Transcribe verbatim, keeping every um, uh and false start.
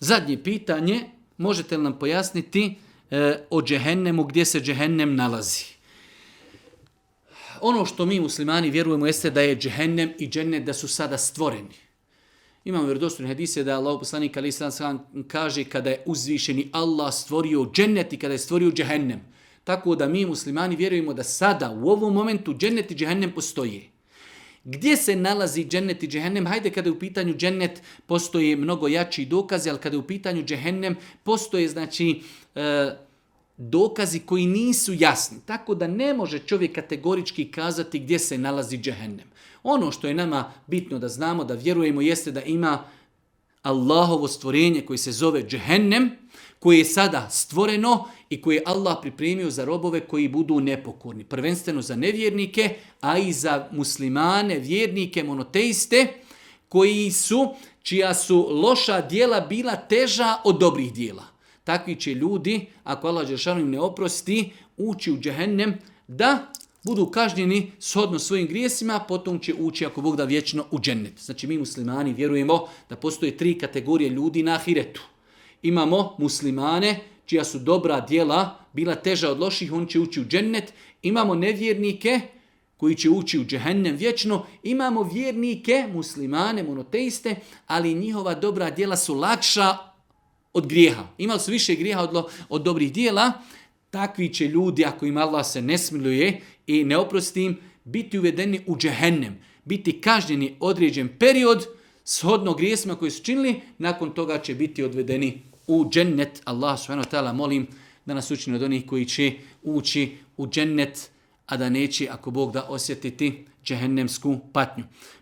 Zadnje pitanje, možete li nam pojasniti e, o džehennemu, gdje se džehennem nalazi? Ono što mi muslimani vjerujemo jeste da je džehennem i džennet da su sada stvoreni. Imamo vjerodostojne hadise da Allah poslanik alejhi selam kaže kada je uzvišeni Allah stvorio džennet i kada je stvorio džehennem. Tako da mi muslimani vjerujemo da sada u ovom momentu džennet i džehennem postoje. Gdje se nalazi džennet i džehennem? Hajde, kada je u pitanju džennet postoje mnogo jači dokazi, ali kada je u pitanju džehennem postoje znači e, dokazi koji nisu jasni. Tako da ne može čovjek kategorički kazati gdje se nalazi džehennem. Ono što je nama bitno da znamo, da vjerujemo, jeste da ima Allahovo stvorenje koji se zove džehennem, koje je sada stvoreno i koje je Allah pripremio za robove koji budu nepokorni. Prvenstveno za nevjernike, a i za muslimane, vjernike, monoteiste, koji su, čija su loša djela bila teža od dobrih djela. Takvi će ljudi, ako Allah dželešanu im ne oprosti, ući u džehennem da budu kažnjeni shodno svojim grijesima, potom će ući, ako Bog da, vječno u džennet. Znači mi muslimani vjerujemo da postoje tri kategorije ljudi na ahiretu. Imamo muslimane čija su dobra djela bila teža od loših, oni će ući u džennet. Imamo nevjernike koji će ući u džehennem vječno. Imamo vjernike, muslimane, monoteiste, ali njihova dobra djela su lakša od grijeha. Imali su više grijeha od, od dobrih djela. Takvi će ljudi, ako im Allah se ne smiluje i ne oprosti im, biti uvedeni u džehennem, biti kažnjeni određen period shodno grijesima koji su činili, nakon toga će biti odvedeni u džennet. Allah subhanahu wa ta'ala molim da nas učini od onih koji će ući u džennet, a da neće, ako Bog da, osjetiti džehennemsku patnju.